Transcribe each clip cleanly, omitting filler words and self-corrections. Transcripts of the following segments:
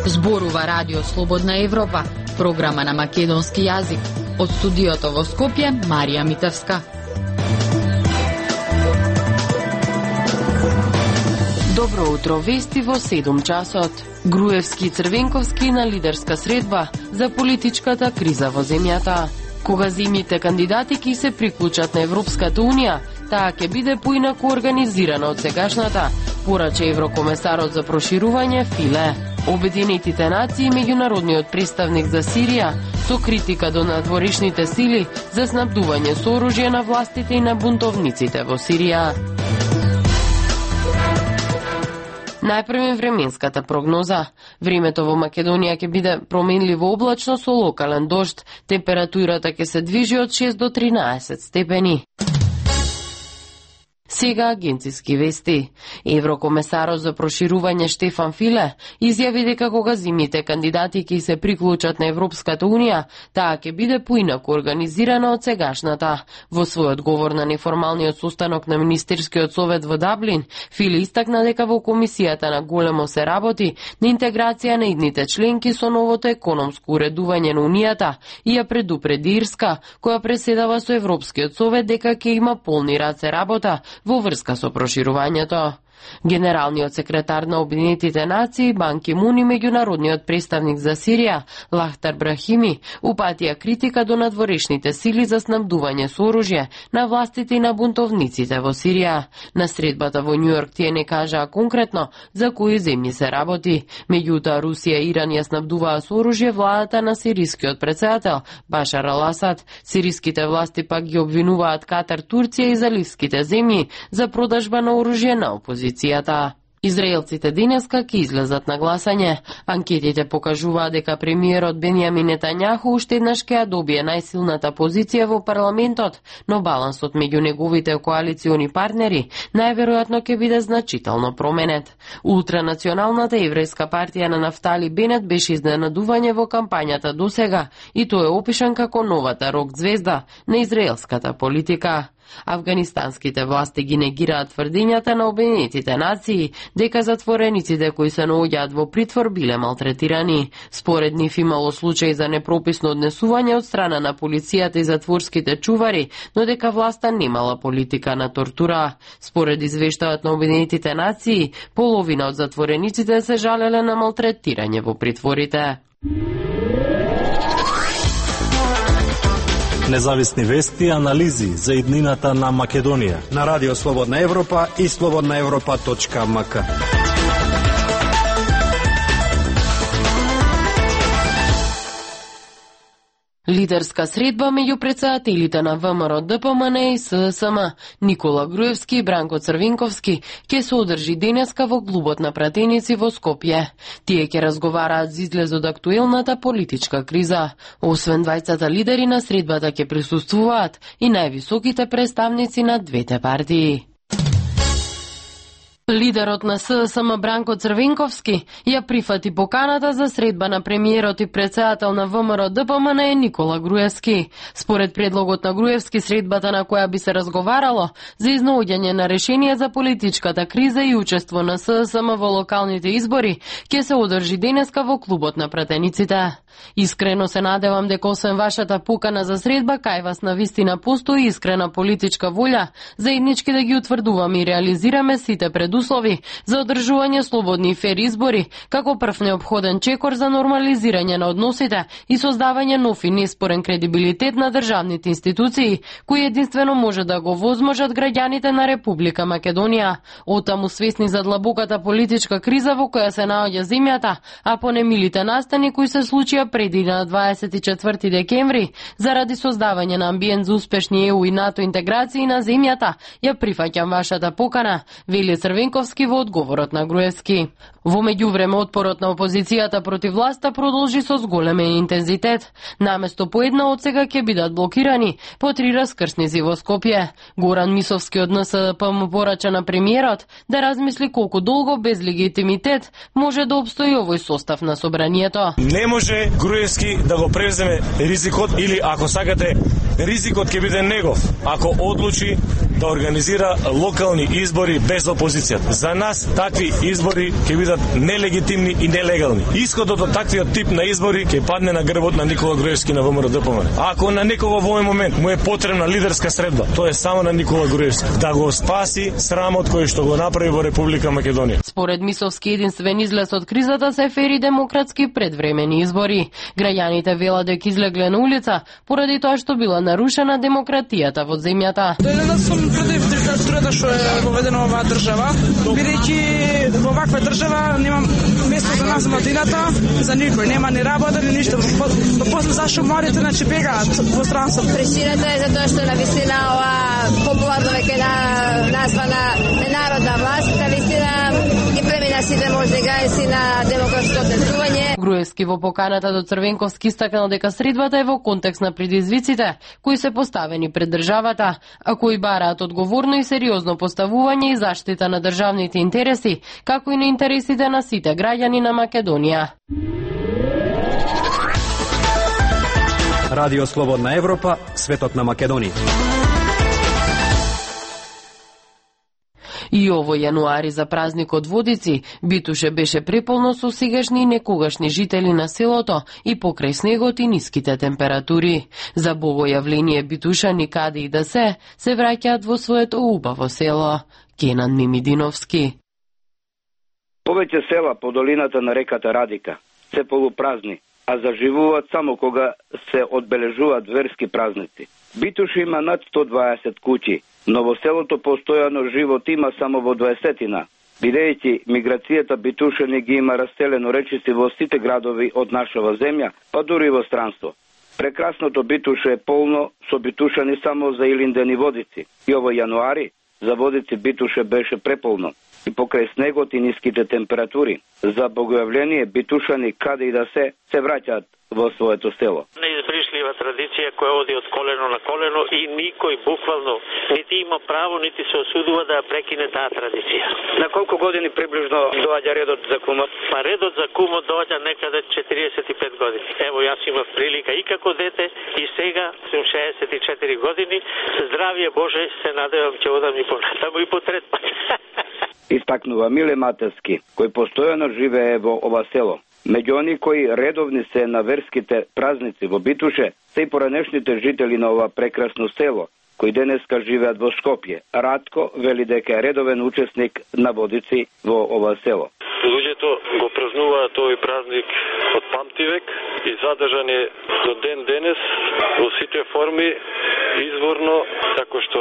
Зборува Радио Слободна Европа, програма на македонски јазик. Од студиото во Скопје, Марија Митевска. Добро утро, вести во 7 часот. Груевски и Црвенковски на лидерска средба за политичката криза во земјата. Кога земјите кандидати ќе се приклучат на Европската Унија, таа ќе биде поинаку организирана од сегашната, порача еврокомесарот за проширување Филе. Обединетите нации и меѓународниот представник за Сирија со критика до надворешните сили за снабдување со оружје на властите и на бунтовниците во Сирија. Најпрво временската прогноза. Времето во Македонија ќе биде променливо облачно со локален дожд. Температурата ќе се движи од 6 до 13 степени. Сега агенциски вести. Еврокомесарот за проширување Штефан Филе изјави дека кога земјите кандидати ќе се приклучат на Европската Унија, таа ќе биде поинаку организирана од сегашната. Во свој одговор на неформалниот состанок на Министерскиот совет во Даблин, Филе истакна дека во комисијата на големо се работи на интеграција на идните членки со новото економско уредување на Унијата и ја предупреди Ирска, која преседава со Европскиот совет, дека ќе има полни раце работа во врска со проширувањето. Генералниот секретар на Обединетите нации Бан Ки Мун и меѓународниот представник за Сирија Лахтар Брахими упатија критика до надворешните сили за снабдување со оружје на властите и на бунтовниците во Сирија. На средбата во Њујорк тие не кажаа конкретно за кои земји се работи. Меѓутоа Русија и Иран ја снабдуваа со оружје владата на сирискиот претседател Башар ал Асад. Сириските власти пак ги обвинуваат Катар, Турција и заливските земји за продажба на оружје на опозицијата. Израелците денеска ќе излезат на гласање. Анкетите покажуваат дека премиерот Бенјамин Нетањаху уште еднаш ќе ја добие најсилната позиција во парламентот, но балансот меѓу неговите коалициони партнери најверојатно ќе биде значително променет. Ултранационалната еврејска партија на Нафтали Бенет беше изненадување во кампањата досега и тој е опишан како новата рок звезда на израелската политика. Афганистанските власти ги негираат тврдењата на Обединетите нации дека затворениците кои се наоѓаат во притвор биле малтретирани. Според нив имало случаи за непрописно однесување од страна на полицијата и затворските чувари, но дека власта немала политика на тортура. Според извештајот на Обединетите нации, половина од затворениците се жалеле на малтретирање во притворите. Независни вести и анализи за иднината на Македонија на Радио Слободна Европа и slobodnaevropa.mk. Лидерска средба меѓу претседателите на ВМРО ДПМН и СДСМ Никола Груевски и Бранко Црвенковски ќе се одржи денеска во клубот на пратеници во Скопје. Тие ќе разговараат за излез од актуелната политичка криза. Освен двајцата лидери на средбата ќе присуствуваат и највисоките представници на двете партии. Лидерот на СДСМ Бранко Црвенковски ја прифати поканата за средба на премиерот и претседател на ВМРО ДПМН Никола Груевски. Според предлогот на Груевски, средбата на која би се разговарало за изнаоѓање на решение за политичката криза и учество на СДСМ во локалните избори ќе се одржи денеска во клубот на пратениците. Искрено се надевам дека освен вашата покана за средба, кај вас на вистина постои искрена политичка волја заеднички да ги утврдуваме и реализираме сите предуслови за одржување слободни и фер избори, како прв неопходен чекор за нормализирање на односите и создавање нов и неспорен кредибилитет на државните институции, кои единствено може да го возможат граѓаните на Република Македонија. Оттаму свесни за длабоката политичка криза во која се наоѓа земјата, а по немилите настани кои се случија преди на 24 декември, заради создавање на амбиент за успешни ЕУ и НАТО интеграции на земјата, ја прифаќам вашата покана, вели Црвенковски во одговорот на Груевски. Во меѓувреме отпорот на опозицијата против власта продолжи со зголемен интензитет. Наместо по една отсега ќе бидат блокирани по 3 раскрсници во Скопје. Горан Мисовски од НСДП му порача на премиерот да размисли колку долго без легитимитет може да обстои овој состав на собранието. Не може Груевски да го превземе ризикот или ако сакате ризикот ќе биде негов ако одлучи да организира локални избори без опозиција. За нас такви избори ќе бидат нелегитимни и нелегални. Исходот од таквиот тип на избори ќе падне на грбот на Никола Груевски на ВМРО-ДПМН. Ако на некого во овој момент му е потребна лидерска средба, тоа е само на Никола Груевски да го спаси срамот кој што го направи во Република Македонија. Според Мисовски, единствен излез од кризата се фери демократски предвремени избори. Граѓаните велат дека излегле на улица поради тоа што била нарушена демократијата во земјата. Денес сум против диктатурата што е воведена во оваа држава, бидејќи во ваква држава нема место за нас во младината, за никој, нема ни работа ни ништо. После зашто младите бегаат во странство. Причината е затоа што навистина ова популарно веќе названа народна власт, навистина ги премина сите можни граници на демократско однесување. Груевски во поканата до Црвенковски истакнал дека средбата е во контекст на предизвиците кои се поставени пред државата, а кои бараат одговорно и сериозно поставување и заштита на државните интереси, како и на интересите на сите граѓани на Македонија. Радио Слободна Европа, светот на Македонија. И овој јануари за празникот Водици, Битуше беше преполно со сегашни и некогашни жители на селото и покрај снегот и ниските температури. За богојавление Битуша никаде и да се враќаат во своето убаво село. Кенан Мимидиновски. Повеќе села по долината на реката Радика се полупразни, а заживуваат само кога се одбележуваат верски празници. Битуш има над 120 куќи, но во селото постојано живот има само во 20-тина, бидејќи миграцијата битушани ги има раселено речиси во сите градови од нашава земја, па дури во странство. Прекрасното Битуше е полно со битушани само за Илинден и Водици. И овој јануари за Водици Битуше беше преполно. И покрај снегот и ниските температури, за богојавление битушани каде и да се враќаат во своето село. Неизбришлива традиција која оди од колено на колено и никој буквално нити има право, нити се осудува да ја прекине таа традиција. На колку години приближно доаѓа редот за кумот? Па редот за кумот доаѓа некаде 45 години. Ево, јас имав прилика и како дете и сега сум 64 години. Здравје Боже, се надевам ќе одам и понатаму и по трет пат. Истакнува Миле Матерски, кој постојано живее во ова село. Меѓу они кои редовни се на верските празници во Битуше, се и поранешните жители на ова прекрасно село, кои денеска живеат во Скопје. Радко вели дека е редовен учесник на Водици во ова село. Луѓето го празнуваат овој празник од памтивек и задржан е до ден денес во сите форми, изворно, како што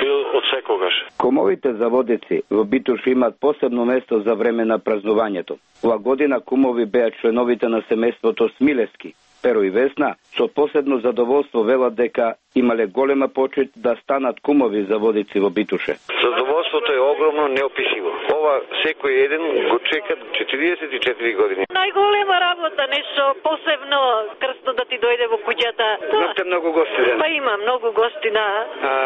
бил од секогаш. Кумовите за Водици во Битуш имаат посебно место за време на празнувањето. Ова година кумови беа членовите на семејството Смилевски. Перо и Весна со посебно задоволство велат дека имале голема почит да станат кумови за Водици во Битуше. Задоволството е огромно, неописиво. Ова секој еден го чека 44 години. Најголема работа, нешто посебно крстно да ти дојде во куќата. Имате многу гости ден? Па има многу гости на...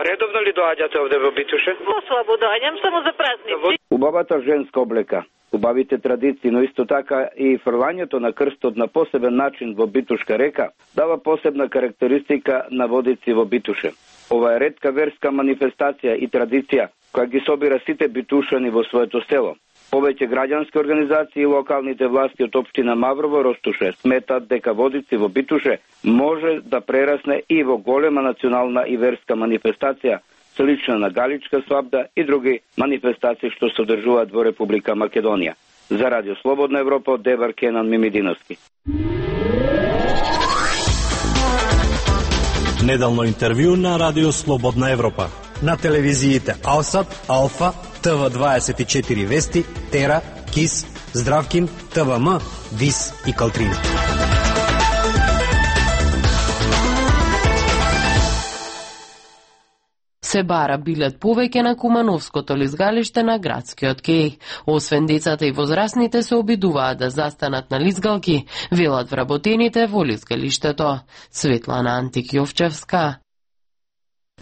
Редовно ли доаѓате овде во Битуше? Послабо доаѓам, само за празници. Убавата женска облека, убавите традиции, но исто така и фрлањето на крстот на посебен начин во Битушка река дава посебна карактеристика на Водици во Битуше. Ова е ретка верска манифестација и традиција која ги собира сите битушани во своето село. Повеќе граѓански организации и локалните власти од општина Маврово Ростуше сметат дека Водици во Битуше може да прерасне и во голема национална и верска манифестација, слична на Галичка свадба и други манифестации што се одржуваат во Република Македонија. За Радио Слободна Европа од Девар Кенан Мимидиновски. Неделно интервју на Радио Слободна Европа. На телевизиите Алсат, Алфа, ТВ24 Вести, Тера, КИС, Здравкин, ТВМ, ВИС и Калтрин. Се бара билет повеќе на Кумановското лизгалиште на градскиот кеј. Освен децата и возрастните се обидуваат да застанат на лизгалки, велат вработените во лизгалиштето. Светлана Антик Јовчевска.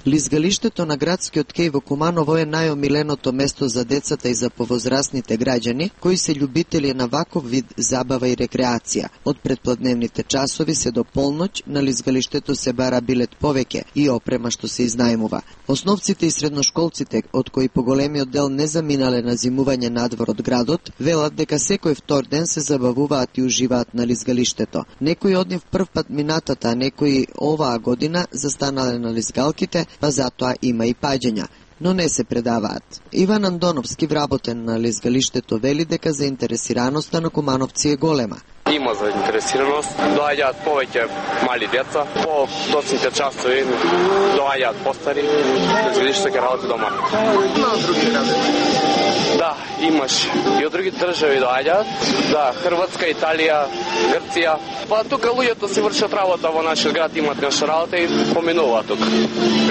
Лизгалиштето на градскиот кеј во Куманово е најомиленото место за децата и за повозрастните граѓани, кои се љубители на ваков вид забава и рекреација. Од предпладневните часови се до полноќ на лизгалиштето се бара билет повеќе и опрема што се изнајмува. Основците и средношколците, од кои поголемиот дел не заминале на зимување надвор од градот, велат дека секој втор ден се забавуваат и уживаат на лизгалиштето. Некои од нив прв пат минатата, а некои оваа година застанале на лизгалките, па затоа има и паѓања, но не се предаваат. Иван Андоновски, вработен на лизгалиштето, вели дека заинтересираноста на кумановци е голема. Има заинтересираност, доаѓаат повеќе мали деца, по доцните часови доаѓаат постари, лизгалиштето ќе работи дома. Има од други градови? Да, имаш и од други држави доаѓаат, да, Хрватска, Италија, Грција. Па тука луѓето си вршат работа во нашиот град, имаат наша работа и поминуваат тука,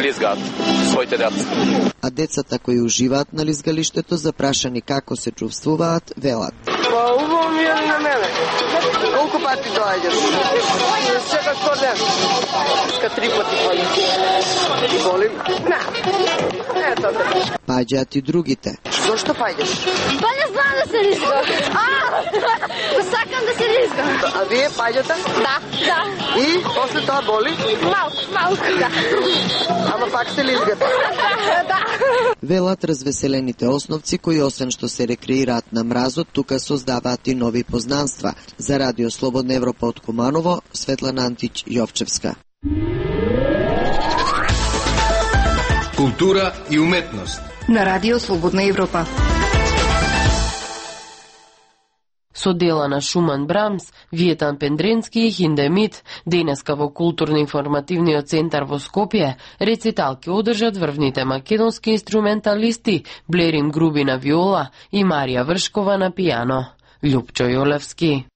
лизгаат своите деца. А децата кои уживаат на лизгалиштето, запрашани како се чувствуваат, велат. Па убаво ми е на мене. Колку пати доаѓаш? Секој втор ден. Ска 3 пати паѓам. Волим? Не, тоа. Паѓаат и другите. Зошто паѓаш? Па не знам да се лизгам. Сакам да се лизгам. А вие паѓате? Да. И после тоа боли? Малку, да. Ама пак се лизгате? Да. Велат развеселените основци кои освен што се рекреираат на мразот, тука создаваат и нови познанства. За Радио Слободна Европа од Куманово, Светлана Антич Јовчевска. Култура и уметност на Радио Слободна Европа. Со дела на Шуман Брамс, Виетан Пендренски и Хиндемит, денеска во културно-информативниот центар во Скопје, рецитал ќе одржат врвните македонски инструменталисти Блерин Груби на виола и Марија Вршкова на пијано. Љупчо Јолевски.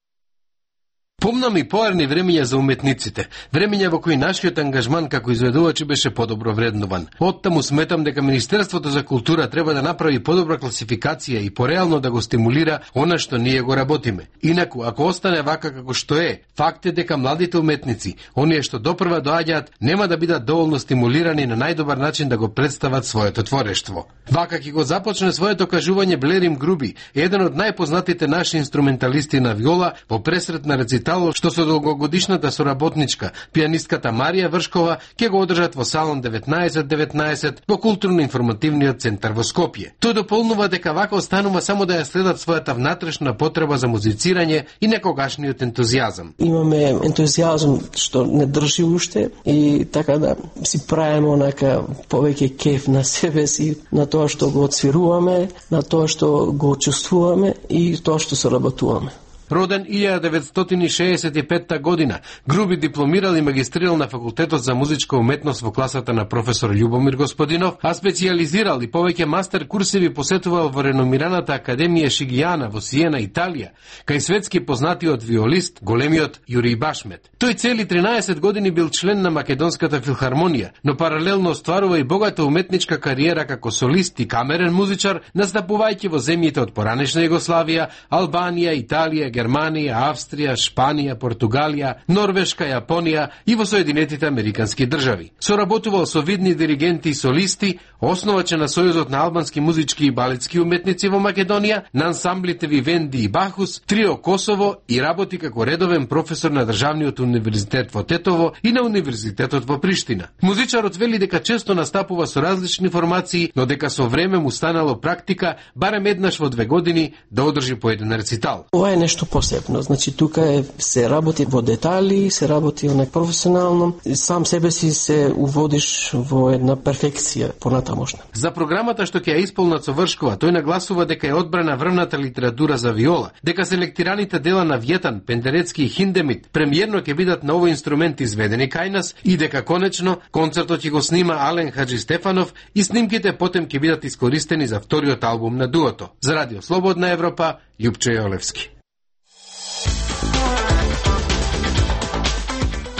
Помнам и поарни времења за уметниците, времења во кои нашиот ангажман како изведувачи беше подобро вреднуван. Оттаму сметам дека Министерството за култура треба да направи подобра класификација и пореално да го стимулира она што ние го работиме. Инаку, ако остане вака како што е, факт е дека младите уметници, оние што допрва доаѓаат, нема да бидат доволно стимулирани на најдобар начин да го представат своето творештво. Вака ќе го започне своето кажување Блерин Груби, еден од најпознатите наши инструменталисти на виола, во пресретна рецитал што со долгогодишната соработничка, пијанистката Марија Вршкова, ќе го одржат во салон 1919 во културно-информативниот центар во Скопје. Тој дополнува дека вака останува само да ја следат својата внатрешна потреба за музицирање и некогашниот ентузијазам. Имаме ентузијазам што не држи уште и така да си правиме онака повеќе кеф на себе си, на тоа што го отсвируваме, на тоа што го чувствуваме и тоа што соработуваме. Роден 1965 година, Груби дипломирал и магистрирал на факултетот за музичка уметност во класата на професор Љубомир Господинов, а специјализирал и повеќе мастер курсеви посетувал во реномираната Академија Шигијана во Сиена, Италија, кај светски познатиот виолист, големиот Јурий Башмет. Тој цели 13 години бил член на Македонската филхармонија, но паралелно остварува и богата уметничка кариера како солист и камерен музичар, настапувајќи во земјите од поранешна Југославија, Албанија, Италија, Германија, Австрија, Шпанија, Португалија, Норвешка, Јапонија и во Соединетите Американски држави. Соработувал со видни диригенти и солисти, основаче на Сојузот на албански музички и балетски уметници во Македонија, на ансамблите Вивенди и Бахус, Трио Косово и работи како редовен професор на Државниот универзитет во Тетово и на Универзитетот во Приштина. Музичарот вели дека често настапува со различни формации, но дека со време му станало практика барем еднаш во 2 години да одржи по еден рецитал. Ова е нешто посебно, значи тука се работи во детали, се работи онак професионално, сам себе си се уводиш во една перфекција понатамошна. За програмата што ќе ја исполнат со Вршкова, тој нагласува дека е одбрана врвната литература за виола, дека селектираните дела на Виетан, Пендерецки и Хиндемит премиерно ќе бидат на овој инструмент изведени кај нас и дека конечно концертот ќе го снима Ален Хаджи Стефанов и снимките потем ќе бидат искористени за вториот албум на дуото. За Радио Слободна Европа, Љупчо Јолевски.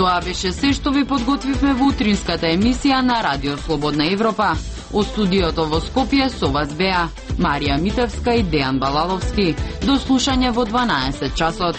Тоа беше се што ви подготвивме во утринската емисија на Радио Слободна Европа. Од студиото во Скопје со вас беа Марија Митевска и Дејан Балаловски. До слушање во 12 часот.